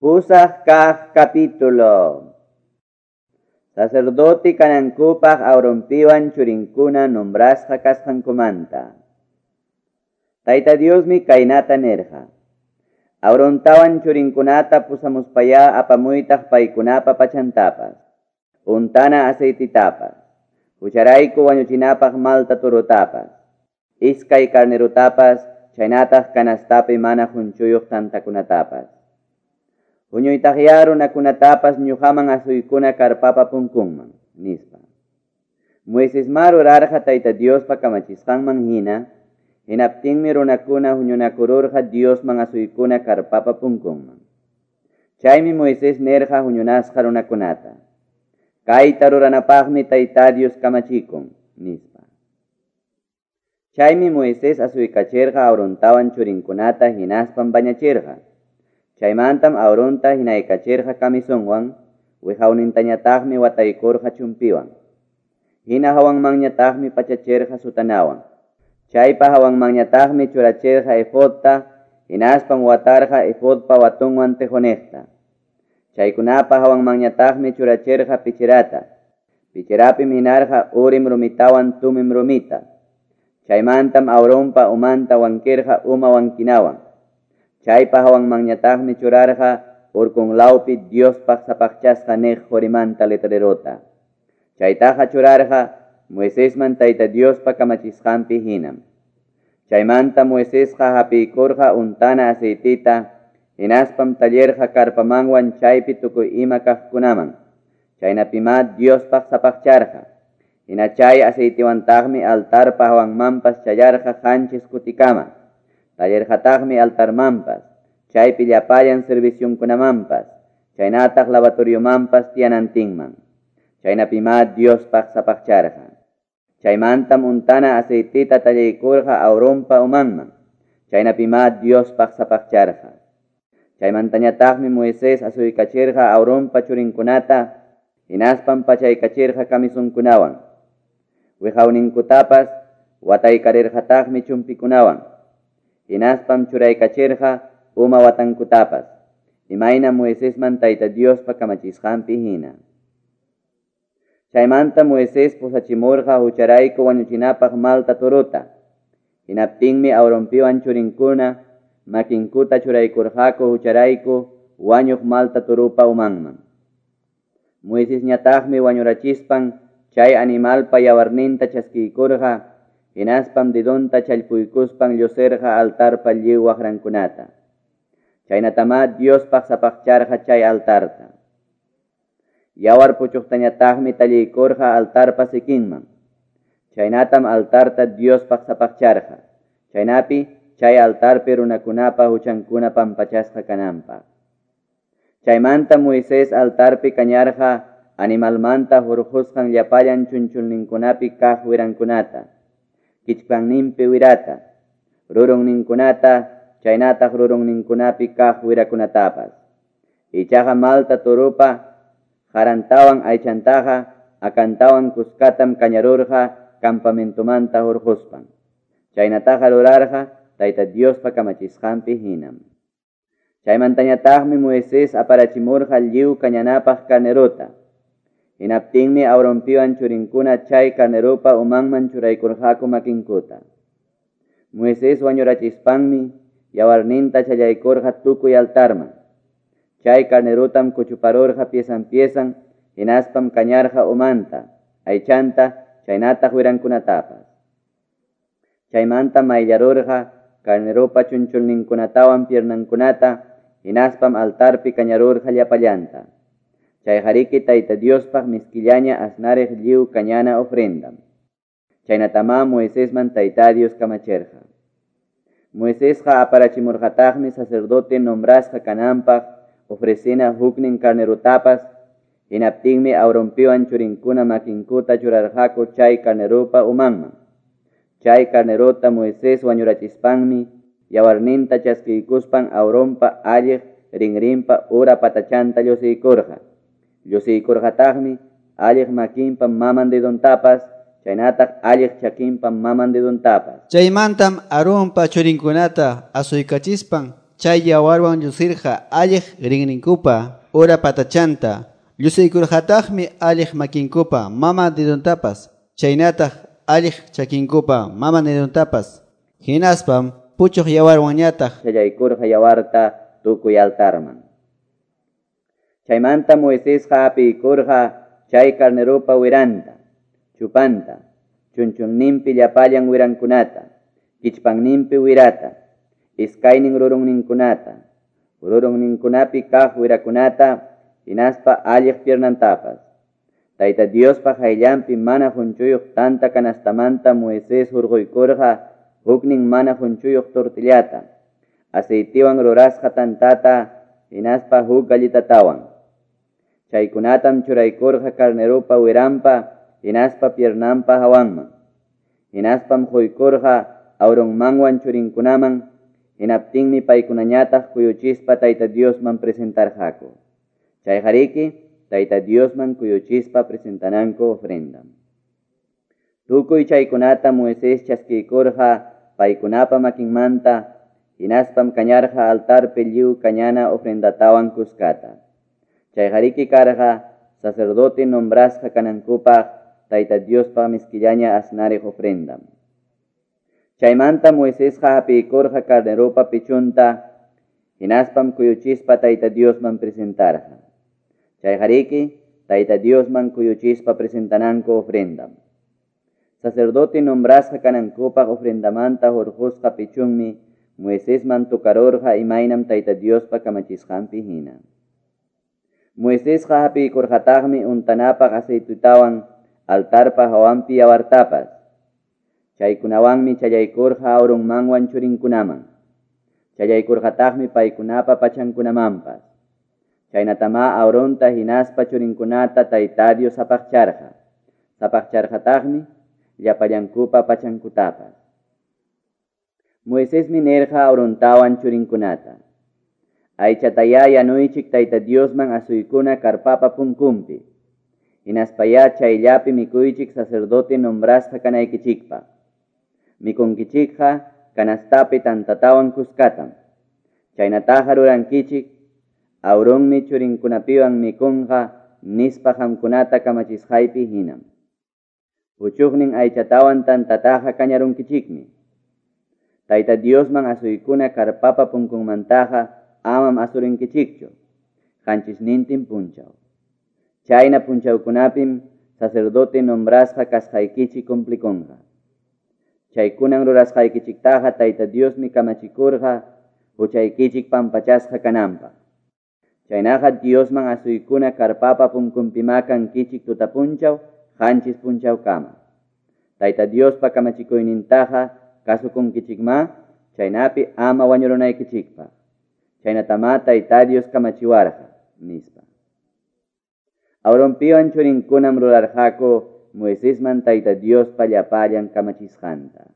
Pusaq kaq capítulo. Sacerdote kanankupaq Aaronpiwan churinkuna nombrasqa kasqankumanta. Tayta Diosmi kaynata nirqa: Aarontawan churinkunata pusamuspayá apamuytaq paykunapa pachantapas, untana aceititapas, hucharayku wañuchinapaq malta torotapas, iskay carnerutapas, chaynataq canastapi mana qunchuyuq tantakunatapas. Huñuytaqyá runakunatapas ñuqaman asuykuna karpapa punkunman, nispa. Moisesma rurarqa Tayta Diospa kamachisqanman hina, hinaptinmi runakuna huñunakururqa Diosman asuykuna karpapa punkunman. Chaymi Moisés nirqa huñunasqa runakunata: Kayta ruranapaqmi Tayta Dios kamachikun, nispa. Chaymi Moisés asuykachirqa Aarontawan churinkunata hinaspam bañachirqa. Chaymantam Aaronta hinaykachirqa camisonwan, wiqawnintañataqmi wataykurqa chumpiwan. Hina hawanmanñataqmi pachachirqa sutanawan. Chaypa hawanmanñataqmi churachirqa efodta, hinaspam watarqa efodpa watunwan tejoniqta. Chaykunapa hawanmanñataqmi churachirqa pichirata. Pichirapim hinarqa urim rumitawan tumim rumita. Chaymantam Aaronpa umanta wankirqa uma wankinawan. Chaypa hawanmanñataqmi churarqa urkunlawpi Diospaq sapaqchasqa niq qurimanta letrerota. Chaytaqa churarqa Moisesman Tayta Diospa kamachisqanpi hinam. Chaymanta Moisesqa hapiykurqa untana aceitita, hinaspam tallirqa karpamanwan chaypi tukuy ima kaqkunaman. Chaynapimá Diospaq sapaqcharqa. Hina chay aceitiwantaqmi altarpa hawanmanpas challarqa qanchis kutikama. Tallirqataqmi altarmanpas, chaypi llapallan servicionkunamanpas, chaynataq lavatoriomanpas tiyanantinman. Chaynapimá Diospaq sapaqcharqa. Chaymantam untana aceitita tallaykurqa Aaronpa umanman. Chaynapimá Diospaq sapaqcharqa. Chaymantañataqmi Moisés asuykachirqa Aaronpa churinkunata, hinaspam pachaykachirqa camisonkunawan. Wiqawninkutapas wataykarirqataqmi chumpikunawan. Hinaspam churaykachirqa uma watankutapas, imayna Moisesman Tayta Diospa kamachisqanpi hina. Chaymanta Moisés pusachimurqa hucharayku wañuchinapaq malta torota. Hinaptinmi Aaronpiwan churinkuna makinkuta churaykurqaku hucharayku wañuq malta torupa umanman. Moisesñataqmi wañurachispan chay animalpa yawarninta chaskiykurqa, hinaspam dedonta challpuykuspan llusirqa altarpa lliw waqrankunata. Chaynatamá Diospaq sapaqcharqa chay altarta. Yawar puchuqtañataqmi talliykurqa altarpa sikinman. Chaynatam altarta Diospaq sapaqcharqa. Chaynapi chay altarpi runakunapa huchankuna pampachasqa kananpaq. Chaymanta Moisés altarpi kañarqa animalmanta hurqusqan llapallan chunchulninkunapi kaq wirankunata, kichpanninpi wirata, rurunninkunata, chaynataq rurunninkunapi kaq wirakunatapas. Ichaqa malta turupa qarantawan aychantaqa akantawan kuskatam kañarurqa campamentomanta hurquspan. Chaynataqa rurarqa Tayta Diospa kamachisqanpi hinam. Chaymantañataqmi Moisés aparachimurqa lliw kañanapaq carnerota. Hinaptinmi Aaronpiwan churinkuna chay carneropa umanman churaykurqaku makinkuta. Moisés wañurachispanmi yawarninta challaykurqa tukuy altarman. Chay carnerotam kuchuparurqa piesan piesan, hinaspam kañarqa umanta, aychanta, chaynataq wirankunatapas. Chaymanta mayllarurqa carneropa chunchulninkunatawan piernankunata, hinaspam altarpi kañarurqa llapallanta. Chayqariki Tayta Diospaq miskillaña asnariq lliw kañana ofrendam. Chaynatamá Moisesman Tayta Dios kamachirqa. Moisesqa aparachimurqataqmi sacerdote nombrasqa kananpaq ofrecina huknin carnerotapas, hinaptinmi Aaronpiwan churinkuna makinkuta churarqaku chay carneropa umanman. Chay carnerota Moisés wañurachispanmi yawarninta chaskiykuspan Aaronpa alliq rinrinpa ura patachanta llusiykurqa. Llusiykurqataqmi alliq makinpa maman dedontapas, chaynataq alliq chakinpa maman dedontapas. Chaymantam Aaronpa churinkunata asuykachispan Chay yawarwan llusirqa alliq rinrinkupa ura patachanta, llusiykurqataqmi alliq makinkupa mama dedontapas, chaynataq alliq chakinkupa mama dedontapas. Hinaspam puchuq yawarwanñataq challaykurqa yawarta tukuy altarman. Chaymanta Moisesqa apiykurqa chay carneropa wiranta, chupanta, chunchunninpi llapallan wirankunata, kichpanninpi wirata, iskaynin rurunninkunata, rurunninkunapi kaq wirakunata, hinaspa alliq piernantapas. Tayta Diospa qayllanpi mana qunchuyuq tanta canastamanta Moisés hurquykurqa huknin mana qunchuyuq tortillata, aceitiwan rurasqa tantata, hinaspa huk galletatawan. Chaykunatam churaykurqa carneropa wiranpa, hinaspa piernanpa hawanman. Hinaspam quykurqa Aaronmanwan churinkunaman, hinaptinmi paykunañataq kuyuchispa Tayta Diosman presentarqaku. Chayqariki Tayta Diosman kuyuchispa presentananku ofrenda. Tukuy chaykunata Moisés chaskiykurqa paykunapa makinmanta, hinaspam kañarqa altarpi lliw kañana ofrendatawan kuskata. Chayqariki karqa sacerdote nombrasqa kanankupaq Tayta Diospa miskillaña asnariq ofrendam. Chaymanta Moisesqa hapiykurqa carneropa pichunta, hinaspam kuyuchispa Tayta Diosman presentarqa. Chayqariki Tayta Diosman kuyuchispa presentananku ofrendam. Sacerdote nombrasqa kanankupaq ofrendamanta hurqusqa pichunmi Moisesman tukarurqa imaynam Tayta Diospa kamachisqanpi hina. Moisesqa hapiykurqataqmi untanapaq aceitutawan altarpa hawanpi yawartapas. Chaykunawanmi challaykurqa Aaronmanwan churinkunaman. Challaykurqataqmi paykunapa pachankunamanpas. Chaynatamá Aaronta hinaspa churinkunata Tayta Dios sapaqcharqa. Sapaqcharqataqmi llapallankupa pachankutapas. Moisesmi nirqa Aarontawan churinkunata: Aychatayá yanuychik Tayta Diosman asuykuna karpapa punkunpi. Hinaspayá chayllapi mikuychik sacerdote nombrasqa kanaykichikpaq. Mikunkichikqa canastapi tantatawan kuskatam. Chaynataqa rurankichik, Aaronmi churinkunapiwan mikunqa nispa qamkunata kamachisqaypi hinam. Puchuqnin aychatawan tantataqa kañarunkichikmi. Tayta Diosman asuykuna karpapa punkunmantaqa amam asurinkichikchu, qanchisnintin punchaw. Chayna punchawkunapim sacerdote nombrasqa kasqaykichik cumplikunqa. Chaykunan rurasqaykichiktaqa Tayta Diosmi kamachikurqa huchaykichik pampachasqa kananpaq. Chaynaqa Diosman asuykuna karpapa punkunpimá kankichik tutapunchaw qanchis punchawkama. Tayta Diospa kamachikuynintaqa kasukunkichikmá, chaynapi ama wañurunaykichikpaq. Chaynatamá Tayta Dios kamachiwarqa, nispa. Aaronpiwan churinkunam rurarqaku Moisesman Tayta Diospa llapallan kamachisqanta.